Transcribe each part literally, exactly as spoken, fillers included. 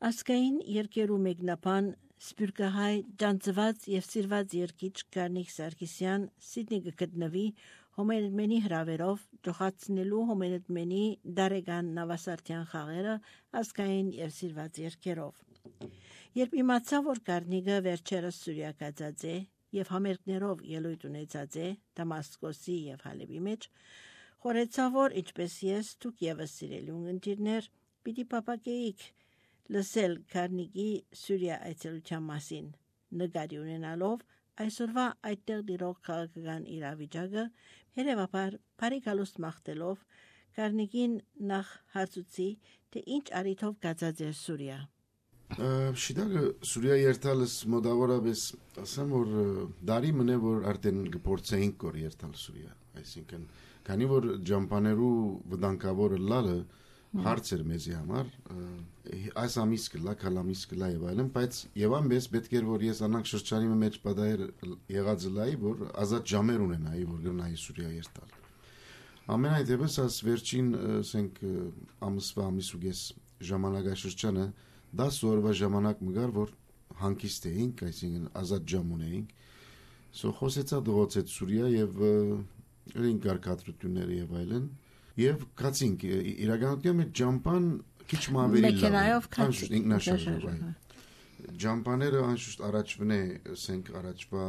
Ասկային երկերու մեկնապան Սպյուրքահայ ճանծված եւ սիրված երկիչ Գարնիկ Սարգսյան Սիդնի գտնվի հոմերմենի հրավերով ճոխացնելու հոմերմենի դարեգան նավասարտյան խաղերը ասկային եւ սիրված երկերով։ Երբ իմացա, որ Գարնիկը վերջերս Սուրիա գածած է եւ համերգներով ելույթ ունեցած է Դամասկոսի եւ Հալեբի մեջ, խորեցա, որ ինչպես ես դուք եւս սիրելի ունգընտիրներ պիտի պապակեիք լսել Գարնիկի Սուրիա այցելության մասին, նկատի ունենալով այսօրվա այդտեղ դիրող քաղաքական իրավիճակը, հետևաբար բարիկալուստ մաղթելով Գարնիկին նախ հարցուցի, թե ինչ առիթով գածած է Սուրիա։ Շիդագը Սուրիա երթալս մոդավորապես ասեմ, որ դարի մնե, որ արդեն գործեինք կոր երթալ Սուրիա, այսինքն, քանի որ ջամպաներու վտանգավորը լալը հարց էր մեզի համար, այս ամիս կլա, քալամիս կլա եւ այլն, բայց եւ ամենից պետք էր որ ես անանք շրջանի մեջ պատահեր եղածը լայի, որ ազատ ժամեր ունենայի, որ գնայի Սուրիա երթալ։ Ամենայդեպս աս վերջին, ասենք, ամսվա ամիսուգես ժամանակաշրջանը դաս օրվա ժամանակ մգար, որ հանգիստ էինք, այսինքն ազատ ժամ ունեինք, սո խոսեցա դողոցեց Սուրիա եւ ըրին կարգադրությունները եւ այլն, եւ կացինք իրականության մեջ ջամպան քիչ մավերի մեքենայով կացինք ինքնաշարժով ջամպաները անշուշտ առաջվն է, ասենք, առաջվա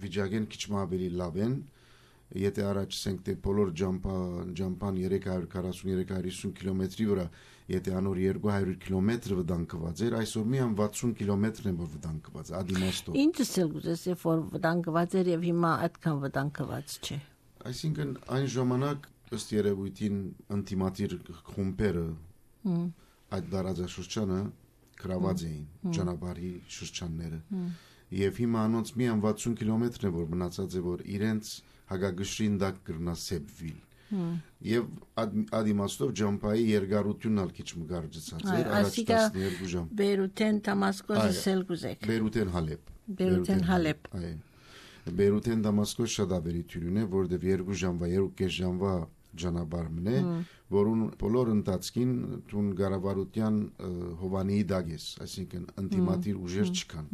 վիճակեն քիչ մավերի լավ են, եթե առաջ ասենք թե բոլոր ջամպան ջամպան երեք հարյուր քառասուն երեք հարյուր հիսուն կիլոմետրի վրա, եթե անոր երկու հարյուր կիլոմետր վտանգված էր, այսօր միայն վաթսուն կիլոմետրն է որ վտանգված, ադիմաստով։ Ինչը ցելգուզես է որ վտանգված էր եւ հիմա այդքան վտանգված չէ։ Այսինքն այն ժամանակ ըստ երևույթին անտիմատիր խումբերը այդ դարաձաշրջանը գրաված էին ճանապարհի շրջանները եւ հիմա անոնց միայն վաթսուն կիլոմետրն է որ մնացած է որ իրենց հագագշրին դակ կրնա սեփվիլ եւ ադիմաստով ջամպայի երկարությունն ալ քիչ մգարջացած էր առաջ տասներկու ժամ Բեյրութեն Դամասկոսը Սելգուզեք Բեյրութեն Հալեբ Բեյրութեն Հալեբ այո Բեյրութեն Դամասկոս շատ ավերիթյուն է, որտեղ երկու ժամվա, երկու կես ժամվա ճանապարհն է, որուն բոլոր ընթացքին տուն գարավարության հովանիի դագես, այսինքն անտիմատիր ուժեր չկան,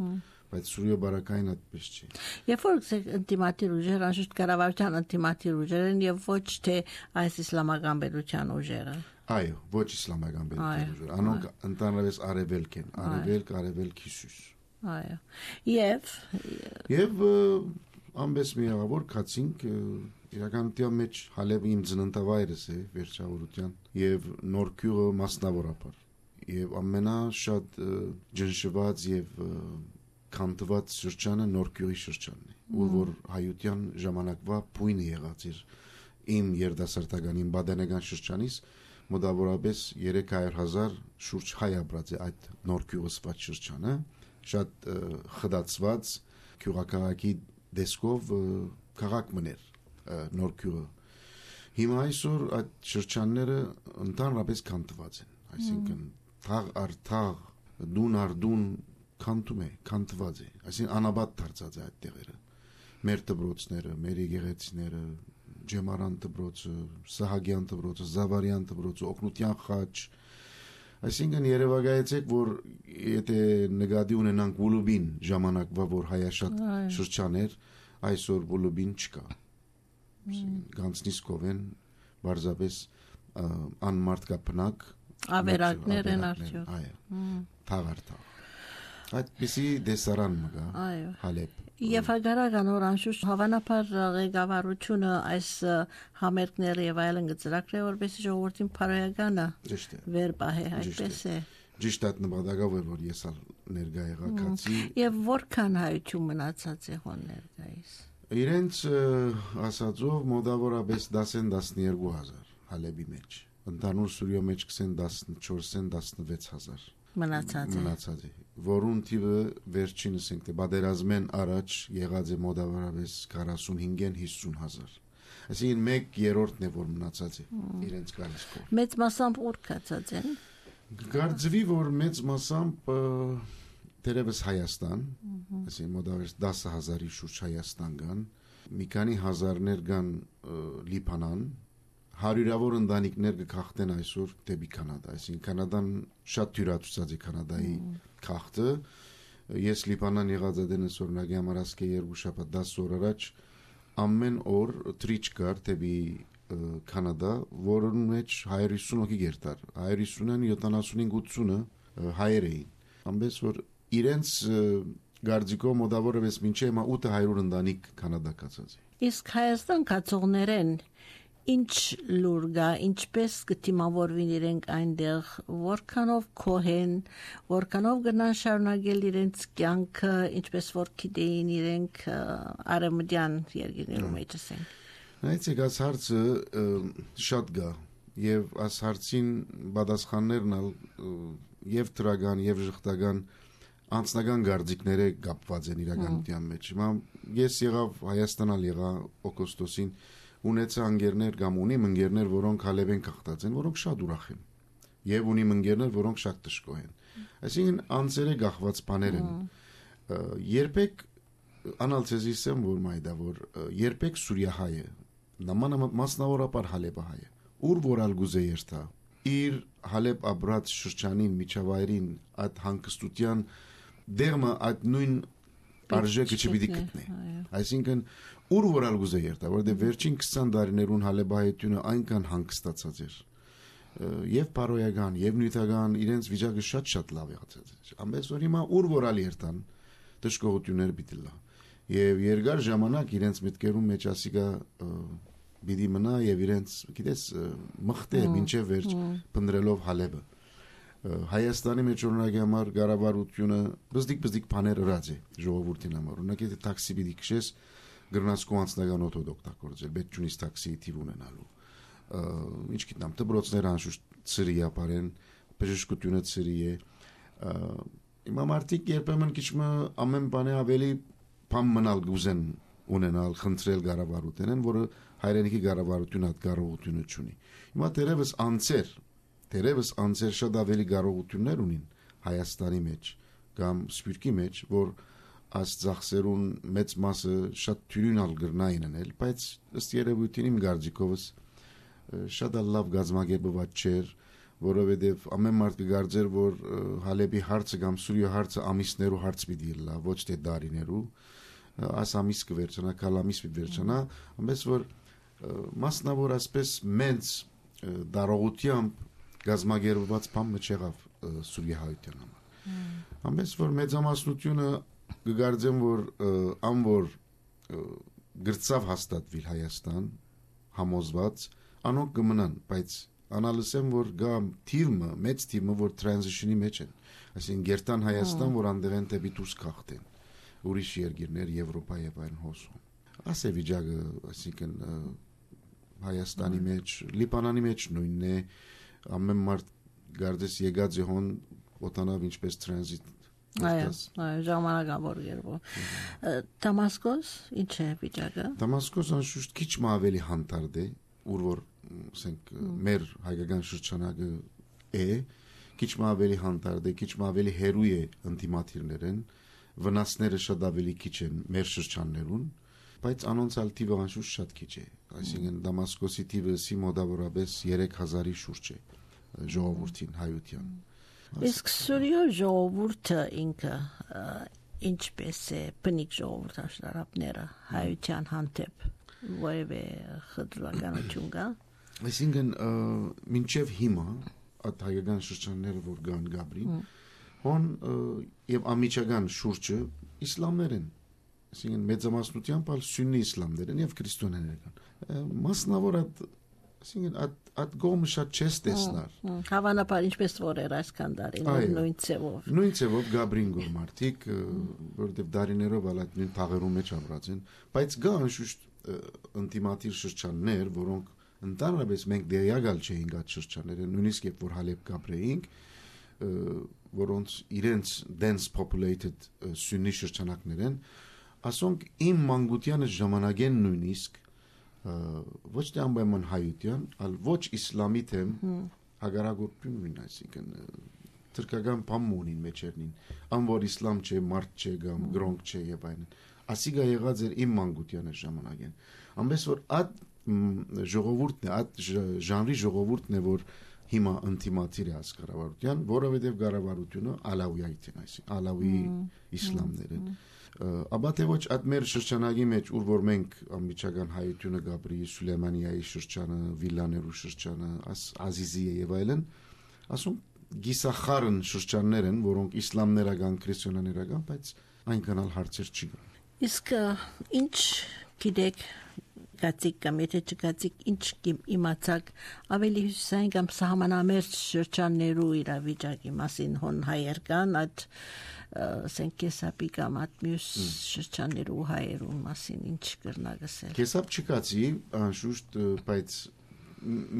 բայց Սուրիա բարակային այդպես չի։ Երբ որ անտիմատիր ուժեր, անշուշտ գարավարության անտիմատիր ուժեր են եւ ոչ թե այս իսլամական պետության ուժերը։ Այո, ոչ իսլամական պետության ուժեր, անոնք ընդհանրապես արևելք են, արևելք, արևելք Հիսուս։ Այո։ Եվ Եվ ամբես մի աղավոր կացինք իրականության մեջ Հալեբը իմ ծննդավայրս է վերջավորության եւ Նորքյուղը մասնավորապես եւ ամենաշատ ջնշված եւ քանտված շրջանը Նորքյուղի շրջանն է ուր որ հայության ժամանակվա բույնը եղած էր իմ երդասարտական իմ բադենական շրջանից մոտավորապես երեք հարյուր հազար շուրջ հայ ապրած է այդ Նորքյուղսված շրջանը շատ խդացված քյուղակաղակի դեսկով քաղաք մներ Նորքյուղը հիմա այսօր այդ շրջանները ընդհանրապես քանտված են այսինքն թաղ առ թաղ դուն առ դուն քանտում է քանտված է այսինքն անաբադ դարձած է այդ տեղերը մեր դպրոցները մեր եկեղեցիները Ջեմարան դպրոցը Սահագյան դպրոցը Զավարյան դպրոցը Օկնուտյան խաչ Այսինքն երևակայեցեք, որ եթե նկատի ունենանք Վուլուբին ժամանակվա, որ հայաշատ շրջան էր, այսօր Վուլուբին չկա։ Գանցնիսկով են, բարձապես անմարդկապնակ ավերակներ են արդյոք։ Այո, թաղարթաղ։ Այդպիսի դեսարան մգա, Հալեբ։ Եվ հագարական որ անշուշտ հավանաբար ղեկավարությունը այս համերգները եւ այլն գծրակրե որպեսզի ժողովրդին բարոյականը վեր պահե այդպես է Ճիշտ այդ նպատակով է որ ես ալ ներկա եղա քացի Եվ որքան հայություն մնացած է հոն ներկայիս Իրենց ասածով մոտավորապես դասեն տասներկու հազար Հալեբի մեջ ընդհանուր Սուրիա մեջ կսեն տասնչորսեն տասնվեց հազար մնացած է մնացած է որուն թիվը վերջինս ենք թե բادرազմեն առաջ եղած է մոտավորապես քառասունհինգեն հիսուն հազար այսինքն մեկ երրորդն է որ մնացած է իրենց գալիսկով մեծ մասամբ ուր կացած են Գարձվի որ մեծ մասամբ դերևս Հայաստան այսինքն մոտավորապես դասը հազարի շուրջ Հայաստան կան մի քանի հազարներ կան Լիբանան հարյուրավոր ընտանիքներ կքախտեն այսօր դեպի Կանադա, այսինքն Կանադան շատ թյուրացուցած է Կանադայի քաղաքը։ Ես Լիբանան եղած դենս օրինակի համար ասկե երկու շաբաթ դաս օր առաջ ամեն օր թրիչ կար դեպի Կանադա, որոնց մեջ հայր հիսուն հոգի գերտար, հայր հիսունն յոթանասունհինգ ութսունը հայեր էին, ամենից որ իրենց գարձիկո մոդավորապես մինչև ութ հարյուր ընտանիք Կանադա կացած է։ Իսկ Հայաստան կացողներեն ինչ լուր գա, ինչպես կդիմավորվին իրենք այնտեղ, որքանով կոհեն, որքանով գնան շարունակել իրենց կյանքը, ինչպես որ գիտեին իրենք արևմտյան երկրներում էջսեն։ Նայեցեք, այս հարցը շատ գա եւ այս հարցին պատասխաններն եւ դրական եւ ժխտական անձնական գարձիկները կապված են իրականության մեջ։ Հիմա ես եղավ Հայաստանալ եղա օգոստոսին ունեցա ընկերներ կամ ունիմ ընկերներ, որոնք հալեբ են կախտած են, որոնք շատ ուրախ են եւ ունիմ ընկերներ, որոնք շատ տշկո են։ Այսինքն անձերը գախված բաներ են։ Երբեք անալցեզիսեմ որ մայդա որ երբեք Սուրիահայը նման մասնավորապես հալեբահայը ուր որալ գուզե երթա իր հալեբ ապրած շրջանին միջավայրին այդ հանգստության դերմը այդ նույն արժեքը չպիտի գտնի։ Այսինքն ուր որալ գուզե երթա, որտեղ վերջին քսան տարիներուն հալեբահայությունը այնքան հանգստացած էր եւ բարոյական եւ նյութական իրենց վիճակը շատ-շատ լավ եղած էր։ Ամենից որ հիմա ուր որալ երթան դժգոհություններ պիտի լա եւ երկար ժամանակ իրենց մտքերում մեջ ասիկա բիդի մնա եւ իրենց գիտես մխտե մինչեւ վերջ փնդրելով հալեբը Հայաստանի մեջ օրինակի համար գարավարությունը բզդիկ-բզդիկ բաներ ըրած է ժողովրդին համար օրինակ եթե տաքսի պիտի քշես գրնաց կո անձնական օտո օգտագործել պետք չունի տաքսի թիվ ունենալու ինչ գիտնամ դպրոցներ անշուշտ ծրի ապարեն բժշկությունը ծրի է Հիմա մարդիկ երբեմն քիչմը ամեն բանը ավելի բան մնալ գուզեն ունենալ խնդրել գարավարութենեն, որը հայրենիքի գարավարությունը հատ կարողությունը չունի։ Հիմա դերևս անձեր, դերևս անձեր շատ ավելի կարողություններ ունին Հայաստանի մեջ կամ Սփյուռքի մեջ, որ այս ծախսերուն մեծ մասը շատ թյուրինալ գրնային անել, բայց ըստ երևույթին իմ գարձիկովս շատ լավ գազམ་ագերբված չէր որովհետև ամեն մարդ կգարձեր որ հալեբի հարցը կամ Սուրիա հարցը ամիսներու հարց պիտի լա ոչ թե դարիներու այս ամիս կվերջանա կալամիս պիտի վերջանա ամենից որ մասնավոր ասպես մեծ դարողությամբ գազམ་ագերբված բան չեղավ Սուրիա հայության համար ամենից որ մեծամասնությունը կգարձեն որ անոր գրծավ հաստատվիլ Հայաստան համոզված անոնք կմնան բայց Անալսեմ որ գամ թիրմը մեծ թիրմը որ transition-ի մեջ են այսինքն գերտան Հայաստան որ անդեղեն դեպի դուրս կախտեն ուրիշ երկիրներ Եվրոպա եւ այլն հոսում ասե վիճակը այսինքն Հայաստանի մեջ Լիբանանի մեջ նույնն է ամեն մարդ գարդես եկած է հոն օտանավ ինչպես transit այո այո ժամանակավոր երբով Դամասկոս ինչ է վիճակը Դամասկոսը շուտ քիչ ավելի հանդարտ է ուր որ ասենք մեր հայկական շրջանակը է քիչ ավելի հանդարտ է քիչ ավելի հերույ է ընտիմաթիրներեն վնասները շատ ավելի քիչ են մեր շրջաններուն բայց անոնցալ թիվը անշուշտ շատ քիչ է այսինքն Դամասկոսի թիվը սիմոդավորապես երեք հազարի շուրջ է ժողովրդին հայության իսկ Սուրիա ժողովուրդը ինքը ինչպես է բնիկ ժողովուրդ աշխարհապները հայության հանդեպ որևէ խտրականություն կա Այսինքն մինչև հիմա այդ հայկական շրջանները որ կան Գաբրին հոն եւ ամիջական շուրջը իսլամներ են այսինքն մեծամասնությամբ ալ սուննի իսլամներ են եւ քրիստոնյաներ կան մասնավոր այդ այսինքն այդ այդ գոմը շատ չես տեսնար հավանաբար ինչպես որ էր այսքան տարիներ նույն ցևով նույն ցևով Գաբրին գոմարտիկ որտեւ դարիներով ալ այդ նույն թաղերում մեջ ապրած են բայց կա անշուշտ ինտիմատիր շրջաններ որոնք Ընդհանրապես մենք դերյակալ չէինք այդ շրջանները, նույնիսկ երբ որ Հալեբ կապրեինք, որոնց իրենց dense populated սուննի շրջանակներ են, ասոնք իմ մանկությանը ժամանակեն նույնիսկ ոչ թե անպայման հայության, այլ ոչ իսլամի թեմ հագարագործություն ունին, այսինքն թրկական բան ունին մեջերնին, ան որ իսլամ չէ, մարդ չէ, կամ գրոնք չէ եւ այլն։ Ասիգա եղած էր իմ մանկությանը ժամանակեն։ Ամենից որ այդ ժողովուրդն է, այդ ժանրի ժողովուրդն է, որ հիմա ընդդիմադիր է ասկարավարության, որովհետև գարավարությունը ալավիայիտ են, այսինքն ալավի իսլամները։ Աբա թե ոչ այդ մեր շրջանագի մեջ, ուր որ մենք անմիջական հայությունը Գաբրի Սուլեյմանիայի շրջանը, վիլաներու շրջանը, Ազիզիը եւ այլն, ասում գիսախարն շրջաններ են, որոնք իսլամներական, քրիստոնյաներական, բայց այնքան էլ հարցեր չի կան։ Իսկ ինչ գիտեք գացիկ կամ եթե չգացիկ ինչ իմացակ ավելի հյուսային կամ սահմանամերձ շրջաններու իրավիճակի մասին հոն հայեր կան այդ ասենք կեսապի կամ այդ մյուս շրջաններու հայերու մասին ինչ կրնագսել։ Կեսապ չկացի անշուշտ բայց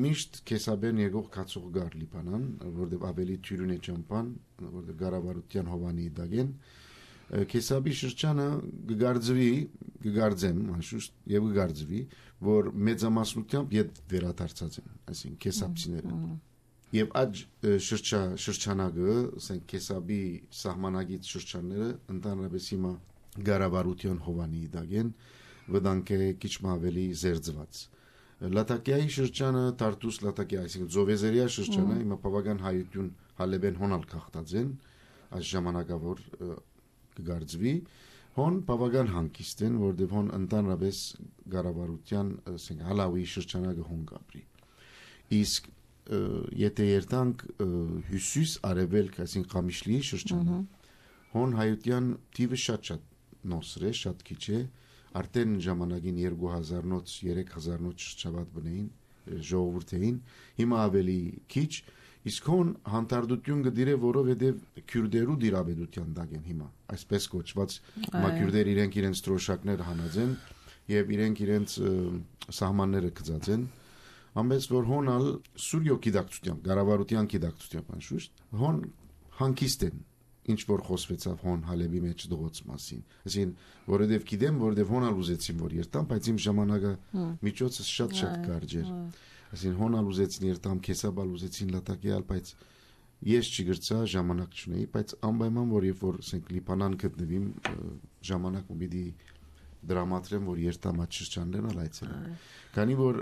միշտ կեսաբեն եկող կացող գար լիբանան որտեղ ավելի թյուրին է ճամփան որտեղ գարավարության հովանի դագեն Կեսաբի շրջանը գգարձվի, գգարձեմ, անշուշտ եւ գգարձվի, որ մեծամասնությամբ իդ վերադարձած են, այսինքն կեսաբցիները։ Եվ այդ շրջա շրջանագը, ասենք կեսաբի սահմանագիծ շրջանները ընդհանրապես հիմա գարավարության հովանի դագեն, վտանգ է քիչ ավելի զերծված։ Լատակիայի շրջանը Տարտուս Լատակիա, այսինքն Զովեզերիա շրջանը հիմա բավական հայություն հալեբեն հոնալ քաղտած են, այս ժամանակավոր կգարձվի, հոն բավական հանգիստ են, որտեղ հոն ընդհանրապես գարավարության, ասենք, հալավի շրջանագը հոն գաբրի։ Իսկ եթե երթանք հյուսիս արևելք, այսինքն Ղամիշլիի շրջանը, հոն հայության թիվը շատ-շատ նոսր է, շատ քիչ է, արդեն ժամանակին երկու հազար նոց, երեք հազար նոց շրջապատ բնեին, ժողովուրդային, հիմա ավելի քիչ Իսկ հոն հանդարտություն գդիրե, որովհետև քյուրդերու դիրաբեդության դագեն հիմա, այսպես կոչված մաքյուրդեր իրենք իրենց ստրոշակներ հանած են եւ իրենք իրենց սահմանները գծած են, ամենից որ հոնալ սուրյո գիտակցությամբ, գարավարության գիտակցությամբ անշուշտ, հոն հանգիստ են, ինչ որ խոսվեցավ հոն Հալեբի մեջ դողոց մասին։ Այսինքն, որովհետև գիտեմ, որովհետև հոնալ ուզեցին որ երթամ, բայց իմ ժամանակը միջոցը շատ-շատ կարճ էր։ Այսինքն հոնալ ուզեցին երթամ, կեսաբալ ուզեցին լատակիալ, բայց ես չգրծա ժամանակ չունեի, բայց անպայման որ երբ որ ասենք Լիբանան գտնվիմ ժամանակ ու պիտի դրամատրեմ, որ երթամ այդ շրջաններն ալ այցելեմ։ Քանի որ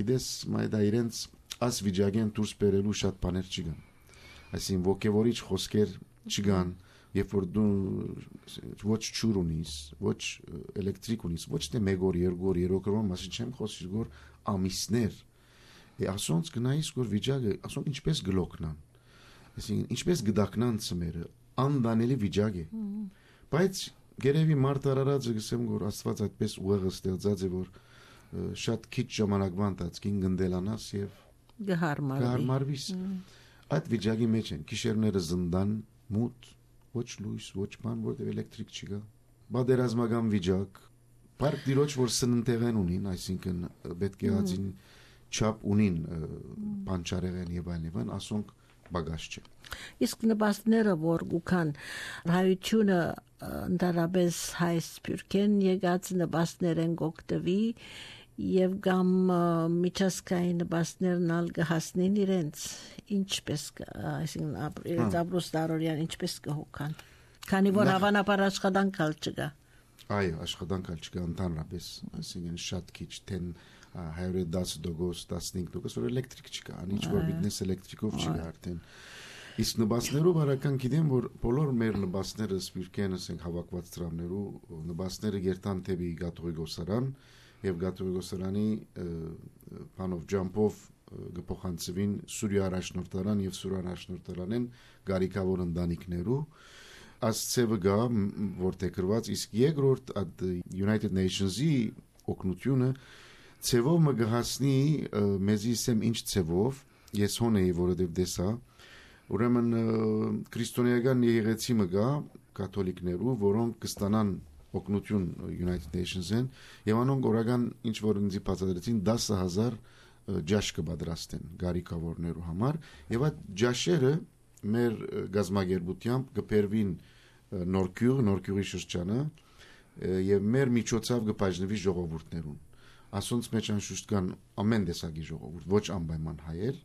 գիտես, մայդա իրենց աս վիճակեն դուրս բերելու շատ բաներ չկան։ Այսինքն ոգևորիչ խոսքեր չկան, երբ որ դու ոչ ճուր ունիս, ոչ էլեկտրիկ ունիս, ոչ թե մեկ օր, երկու օր, երեք օր, մասին չեմ խոսի, որ ամիսներ ասոնց գնայիս որ վիճակը ասոնք ինչպես գլոկնան այսինքն ինչպես գդակնան ծմերը անդանելի վիճակ է բայց գերեւի մարդ արարածը գսեմ որ Աստված այդպես ուղեղը ստեղծած է որ շատ քիչ ժամանակվա ընթացքին գնդելանաս եւ գհարմարվի գհարմարվիս այդ վիճակի մեջ են գիշերները զնդան մութ ոչ լույս ոչ բան որտեղ էլեկտրիկ չկա բادرազմական վիճակ բարդ դիրոջ որ սննդեղեն ունին այսինքն պետք է ածին չափ ունին բանջարեղեն եւ այլն եւ ասոնք բագաշ չէ իսկ նպաստները որ գուքան հայությունը ընդհանրապես հայ սփյուռքեն եկած նպաստներ են գոկտվի եւ գամ միջազգային նպաստներն ալ կհասնին իրենց ինչպես այսինքն իրենց ապրոստարորյան ինչպես կհոգան քանի որ հավանաբար աշխատանքալ չկա այո աշխատանքալ չկա ընդհանրապես այսինքն շատ քիչ թեն հայրը դասը դոգոս տասնհինգ դոգոս որ էլեկտրիկ չկա, ինչ որ բիզնես էլեկտրիկով չկա արդեն։ Իսկ նպաստներով արական գիտեմ որ բոլոր մեր նպաստները սպիրկեն ասենք հավաքված ծրամներու նպաստները գերտան թեպի Գաթողիկոսարան եւ Գաթողիկոսարանի բանով ջամփով գփոխանցվին Սուրիա առաջնորդարան եւ Սուրիա առաջնորդարանեն գարիկավոր ընտանիքներու ասցեվը գա որտեղ գրված իսկ երկրորդ at United Nations-ի օգնությունը Ցևով մը գահսնի մեզի սեմ ինչ ցևով ես հոն էի որովհետև դեսա ուրեմն քրիստոնեական եղեցի մը գա կաթոլիկներու որոնք կստանան օգնություն United Nations-ին եւ անոնք օրական ինչ որ ինձ բացատրեցին դասը հազար ջաշ կպատրաստեն գարիկավորներու համար եւ այդ ջաշերը մեր գազագերբությամբ կբերվին Նորքյուղ Նորքյուղի շրջանը եւ մեր միջոցով կբաժնվի ժողովուրդներուն ասոնց մեջ անշուշտ կան ամեն տեսակի ժողովուրդ, ոչ անպայման հայեր,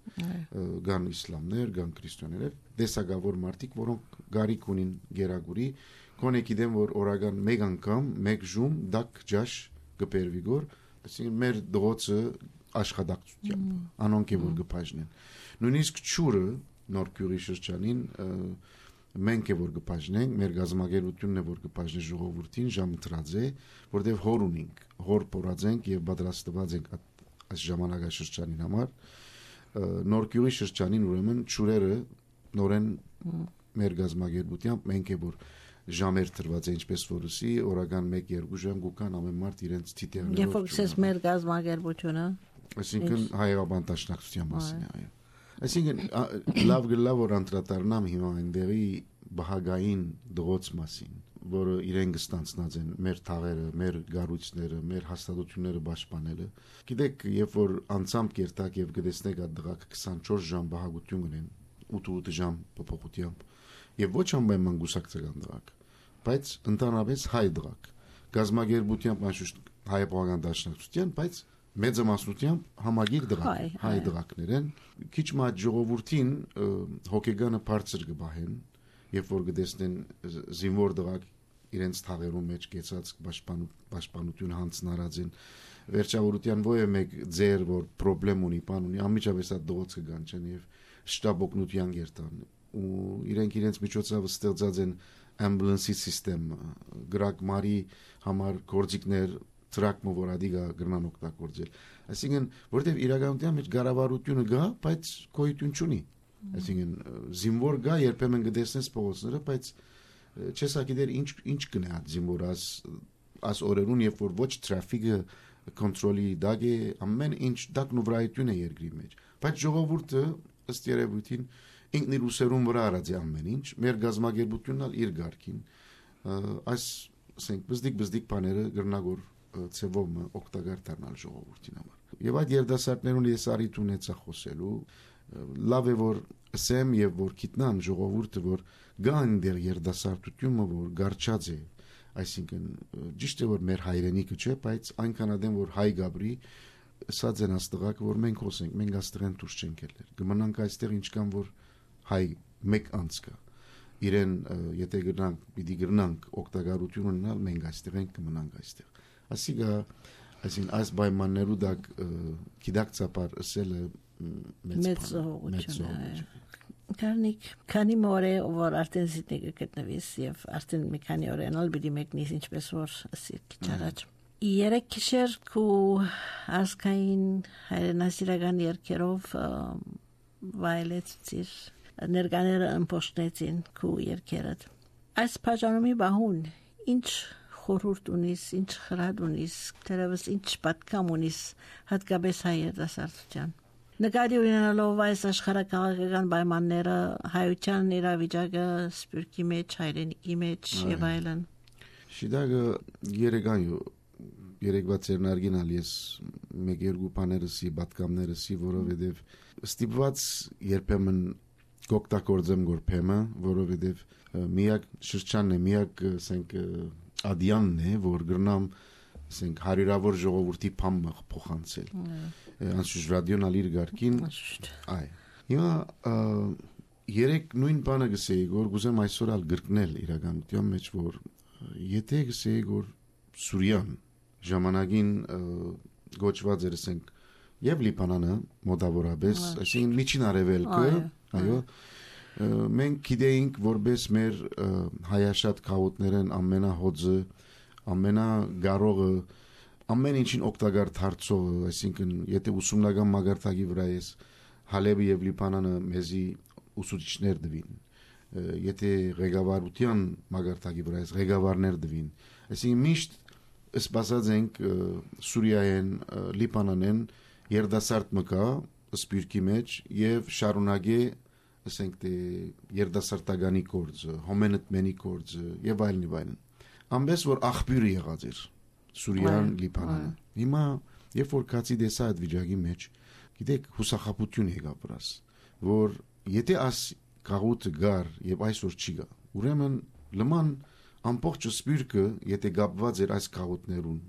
կան իսլամներ, կան քրիստոնեներ, տեսակավոր մարդիկ, որոնք գարիք ունին գերագուրի, կոնե գիտեմ որ օրական մեկ անգամ, մեկ ժում դակ ջաշ կբերվի գոր, այսինքն մեր դրոցը աշխատակցությամբ անոնք է որ գպաժնեն նույնիսկ ճուրը նոր քյուրի շրջանին մենք է որ գպաժնենք մեր գազམ་ագերությունն է որ գպաժնի ժողովրդին ժամընտրած է որտեղ հոր ունենք հոր փորածենք եւ պատրաստված ենք այս ժամանակաշրջանին համար նոր քյուրի շրջանին ուրեմն ճուրերը նորեն մեր գազམ་ագերությամբ մենք է որ ժամեր տրված է ինչպես որսի օրական մեկ-երկու ժամ գուկան ամեն մարդ իրենց թիթեղներով Երբ որ մեր գազམ་ագերությունը այսինքն հայերական տաշնակցության մասին այո այսինքն լավ գլավ որ անդրադառնամ հիմա այնտեղի բահագային դրոց մասին որը իրեն կստանցնած են մեր թաղերը մեր գառույցները մեր հաստատությունները պաշտպանելը գիտեք երբ որ անցամբ կերտակ եւ գտեսնեք այդ դրակ քսանչորս ժամ բահագություն ունեն ութ ժամ փոփոխությամբ եւ ոչ ամեն մանգուսակցական դրակ բայց ընդհանրապես հայ դրակ գազམ་ագերությամբ անշուշտ հայապողական դաշնակցության բայց մեծամասնությամբ համագիր դրակ հայ դրակներ են քիչ մատ ժողովրդին հոգեգանը բարձր կբահեն երբ որ գտեսնեն զինվոր դրակ իրենց թաղերում մեջ կեցած պաշտպանություն հանձնարած են վերջավորության ո՞ե մեկ ձեր որ խնդրեմ ունի բան ունի անմիջապես այդ դրոցը գան չեն եւ շտաբօգնության երթան ու իրենք իրենց միջոցով ստեղծած են ամբուլանսի համակարգ գրակմարի համար գործիքներ տրակմը որ ադիգա գրնան օգտագործել այսինքն որտեվ իրականության մեջ գարավարությունը գա բայց գոյություն չունի այսինքն զինվոր գա երբեմն գտեսնես փողոցները բայց չես ակիդեր ինչ ինչ կնա զինվորած աս օրերուն երբ որ ոչ տրաֆիկը կոնտրոլի դագ է ամեն ինչ դակնուվրայություն է երկրի մեջ բայց ժողովուրդը ըստ երևույթին ինքն իր ուսերուն վրա արած է ամեն ինչ մեր գազམ་ագերությունն ալ իր ղարքին այս ասենք բզդիկ բզդիկ բաները գրնագոր ծևով օգտակար դառնալ ժողովրդին համար եւ այդ երդասարտներուն ես արիտ ունեցա խոսելու լավ է որ ասեմ եւ որ գիտնան ժողովուրդը որ գան դեր երդասարտությունը որ գարչած է այսինքն ճիշտ է որ մեր հայրենիքը չէ բայց այնքան ադեմ որ հայ գաբրի սա ձեն աստղակ որ մենք խոսենք մենք աստղեն դուրս չենք ելներ կմնանք այստեղ ինչքան որ հայ մեկ անցկա իրեն եթե գրնանք պիտի գրնանք օգտակարություն ունենալ մենք այստեղ ենք կմնանք այստեղ ասիգա այսին այս պայմաններու դակ գիտակցաբար ասելը մեծ հողություն է Կարնիկ քանի մորե որ արդեն զիտնիկը գտնվիս եւ արդեն մի քանի օրենալ պիտի մեկնիս ինչպես որ ասիք չարաջ երեք քիշեր քու ասկային հայրենասիրական երկերով վայելեցիր ներկաները ըմբոշխնեցին քու երկերդ այս բաժանումի բահուն ինչ խորհուրդ ունիս ինչ խրատ ունիս դերևս ինչ պատկամ ունիս հատկապես հայ երիտասարդության նկատի ունենալով այս աշխարհակաղակական պայմանները հայության իրավիճակը սպյուրքի մեջ հայրենիքի մեջ եւ այլն շիդագը երեգան երեգվա ծերնարգինալ ես մեկ երկու բաներսի պատկամներսի որովհետեւ ստիպված երբեմն գոկտակորձեմ գորփեմը որովհետեւ միակ շրջանն է միակ ասենք ադյանն է որ գրնամ ասենք հարյուրավոր ժողովրդի փամը փոխանցել անշուշտ ռադիոն ալիր գարկին այ հիմա երեք նույն բանը գսեի որ գուզեմ այսօր ալ գրկնել իրականության մեջ որ եթե գսեի որ Սուրիան ժամանակին գոչված էր ասենք եւ Լիբանանը մոտավորապես այսինքն միջին արևելքը այո մենք գիտեինք որպես մեր հայաշատ քաղաքներն ամենահոձը ամենագարողը ամեն ինչին օգտակար դարձողը այսինքն եթե ուսումնական մագարտակի վրա ես Հալեբը եւ Լիբանանը մեզի ուսուցիչներ դվին եթե ղեկավարության մագարտակի վրա ես ղեկավարներ դվին այսինքն միշտ սպասած ենք Սուրիայեն Լիբանանեն երդասարտ մկա սպյուրքի մեջ եւ շարունակե ասենք թե երդասարտականի կորձը հոմենտմենի կորձը եւ այլն եւ այլն ամբես որ աղբյուրը եղած էր Սուրիան Լիբանանը հիմա երբ որ կացի դեսա այդ վիճակի մեջ գիտեք հուսախապություն եկա վրաս որ եթե աս կաղուտը գար եւ այսօր չի գա ուրեմն լման ամբողջ սպյուրքը եթե գապված էր այս կաղուտներուն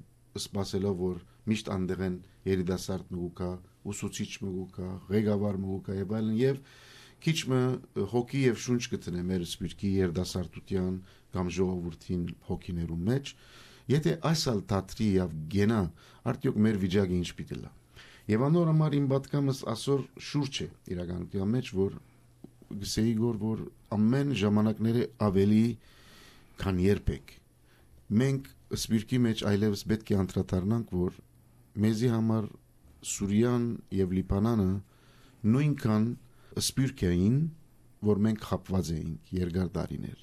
սպասելով որ միշտ անդեղեն երիտասարդ մգուկա ուսուցիչ մգուկա ղեկավար մգուկա եւ այլն եւ քիչ մը հոգի եւ շունչ գտնե մեր սպյուրքի երիտասարդության կամ ժողովրդին հոգիներու մեջ Եթե այսալ թատրի եւ գենա արդյոք մեր վիճակը ինչ պիտի լա։ Եվ անոր համար իմ պատկամս ասոր շուրջ է իրականության մեջ, որ գսեի գոր որ ամեն ժամանակները ավելի քան երբեք մենք սպիրկի մեջ այլևս պետք է անդրադառնանք, որ մեզի համար Սուրիան եւ Լիբանանը նույնքան սպիրկ էին, որ մենք խապված էինք երկար տարիներ,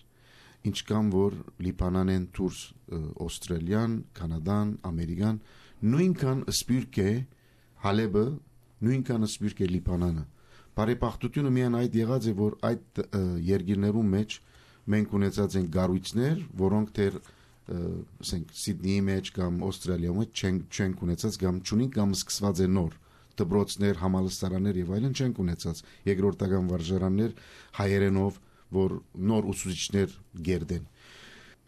ինչքան որ Լիբանանեն դուրս Ավստրալիան, Կանադան, Ամերիկան նույնքան սպիրկ է Հալեբը, նույնքան սպիրկ է Լիբանանը։ Բարեբախտությունը միայն այդ եղած է, որ այդ երկիրներում մեջ մենք ունեցած ենք գառույցներ, որոնք դեռ ասենք Սիդնեի մեջ կամ Ավստրալիայում մեջ չենք ունեցած կամ չունենք կամ սկսված է նոր դպրոցներ, համալսարաններ եւ այլն չենք ունեցած երկրորդական վարժարաններ հայերենով, որ նոր ուսուցիչներ գերդեն։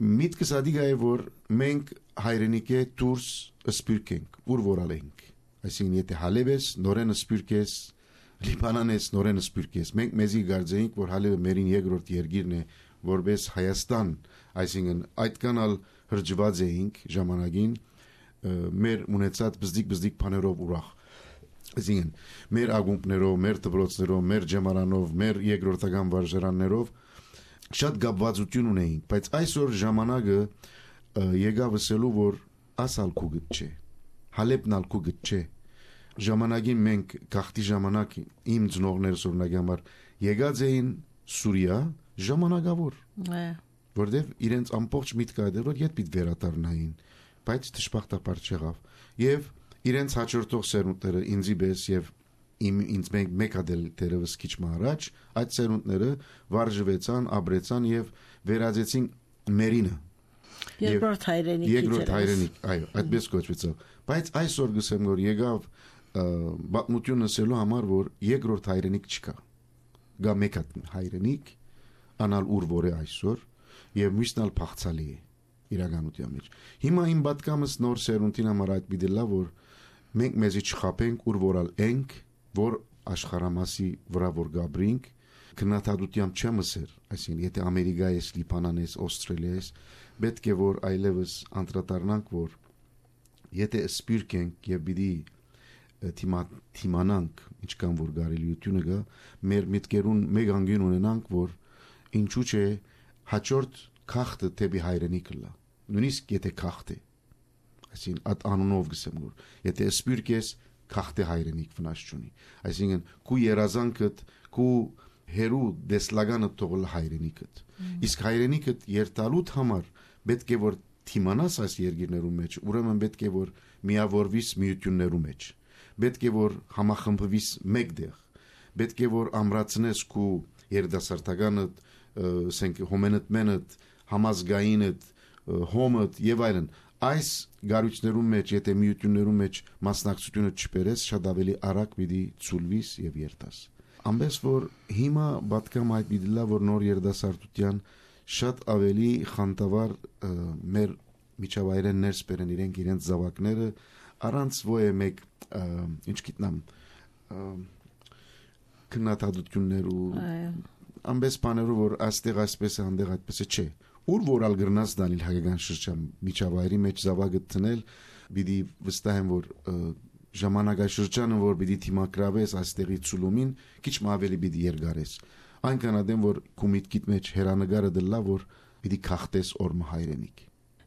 Միտքս ադիգա է, որ մենք հայրենիքը դուրս սպիրկ ենք, ուր որալ ենք։ Այսինքն եթե Հալեբես նորեն սպիրկ ես, Լիբանանես նորեն սպիրկ ես, մենք մեզի գարձեինք, որ Հալեբը մերին երկրորդ երկիրն է, որպես Հայաստան, այսինքն այդքանալ հրճված էինք ժամանակին մեր ունեցած բզդիկ-բզդիկ բաներով ուրախ։ Այսինքն մեր ագումբներով, մեր դպրոցներով, մեր ջեմարանով, մեր երկրորդական վարժարաններով շատ գաբվածություն ունեինք, բայց այսօր ժամանակը եկավ ասելու, որ ասալ քուգտ չէ, Հալեբն ալ քուգտ չէ։ Ժամանակին մենք գախտի ժամանակ իմ ծնողներս օրինակ համար եկած էին Սուրիա ժամանակավոր, որտեվ իրենց ամբողջ միտքը այդ էր, ետ պիտի վերադառնային, բայց դժբախտաբար չեղավ։ Եվ իրենց հաջորդող սերունդները ինձի պես եւ իմ ինձ մենք մեկադել դերևս քիչ առաջ այդ սերունդները վարժվեցան, ապրեցան եւ վերածեցին մերինը երկրորդ հայրենիքի երկրորդ հայրենիք, այո, այդպես կոչվեցավ։ Բայց այսօր գսեմ որ եկավ բացմությունը ասելու համար, որ երկրորդ հայրենիք չկա։ Գա մեկ հայրենիք, անալ ուր որ է այսօր եւ միշտալ փախցալի է իրականության մեջ։ Հիմա իմ պատկամս նոր սերունդին համար այդ պիտի լա, որ մենք մեզի չխապենք, ուր որալ ենք, որ աշխարհամասի վրա որ գաբրինք, քննադատությամբ չեմ ասեր, այսինքն եթե Ամերիկա ես, Լիբանան ես, Ավստրալիա ես, պետք է որ այլևս անդրադառնանք, որ եթե սպիրկ ենք եւ պիտի թիմանանք, ինչքան որ կարելիությունը կա, մեր միտքերուն մեկ անգին ունենանք, որ ինչու՞ չէ հաջորդ քաղտը դեպի հայրենիքը լա, նույնիսկ եթե քաղտ է, այսինքն այդ անունով գսեմ որ եթե սպիրկ ես քաղտե հայրենիք վնաս չունի, այսինքն քու երազանքդ, քու հերու դեսլագանը թողել հայրենիքդ, իսկ հայրենիքդ երթալուտ համար պետք է որ թիմանաս այս երկիրներում մեջ, ուրեմն պետք է որ միավորվիս միություններում մեջ, պետք է որ համախմբվիս մեկտեղ, պետք է որ ամրացնես քու երդասարտականդ, ասենք հոմենդ մենդ, համազգայինդ, հոմդ եւ այլն, այս գարույցներում մեջ, եթե միություններում մեջ մասնակցությունը չբերես, շատ ավելի արագ պիտի ցուլվիս եւ երթաս։ Ամենս որ հիմա պատկամ այդ պիտի լա, որ նոր երդասարտության շատ ավելի խանդավառ մեր միջավայրեն ներս բերեն իրենք իրենց զավակները առանց ոյ մեկ ինչ գիտնամ քննադատություններ ու ամենս բաներով որ այստեղ այսպես է, անդեղ այդպես է չէ։ Ուր որալ գրնաս դանիլ հայկական շրջան միջավայրի մեջ զավակը տնել, պիտի վստահ եմ որ ժամանակաշրջանը որ պիտի թիմակրավես այստեղի ցուլումին, քիչ ավելի պիտի երգարես։ Այնքան ադեմ որ քու միտքիդ մեջ հերանագարը դլա որ պիտի քաղտես օրմը հայրենիք։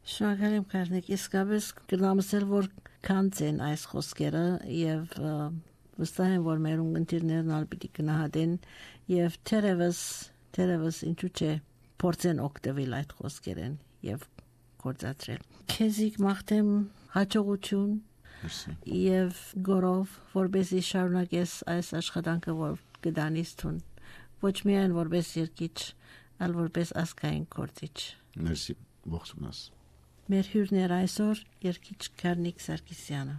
Շնորհակալ եմ Կարնիկ, իսկապես գնամսել որ քանց են այս խոսքերը եւ վստահ եմ որ մեր ունգընտիրներն ալ պիտի գնահատեն եւ թերևս թերևս ինչու՞ չէ փորձեն օգտվել այդ խոսքերեն եւ գործադրել։ Քեզիկ մաղթեմ հաջողություն եւ գորով որբեսի շարունակես այս աշխատանքը որ գդանից տուն ոչ միայն որպես երկիչ, այլ որպես ազգային գործիչ։ Մերսի, ողջունես։ Մեր հյուրն էր այսօր երկիչ Կարնիկ Սարգսյանը։